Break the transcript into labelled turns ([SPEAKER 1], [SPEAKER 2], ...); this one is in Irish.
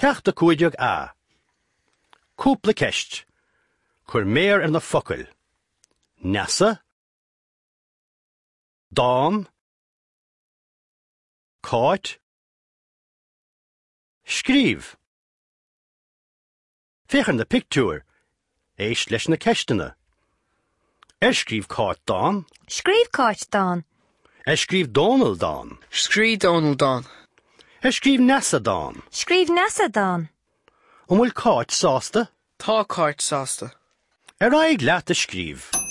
[SPEAKER 1] Ceacht 15A. Cúpla ceist. Cuir méar ar na focail. Neasa. Dán. Cáit. Scríobh. Féach ar na pictiúir. Éist leis na ceisteanna. Ar scríobh Cáit dán?
[SPEAKER 2] Scríobh Cáit dán.
[SPEAKER 1] Ar scríobh Dónal dán?
[SPEAKER 3] Scríobh Dónal dán.
[SPEAKER 1] Ar scríobh Neasa dán?
[SPEAKER 2] Scríobh Neasa dán.
[SPEAKER 1] An bhfuil Cáit sásta?
[SPEAKER 3] Tá Cáit sásta.
[SPEAKER 1] Ar aghaidh leat a scríobh.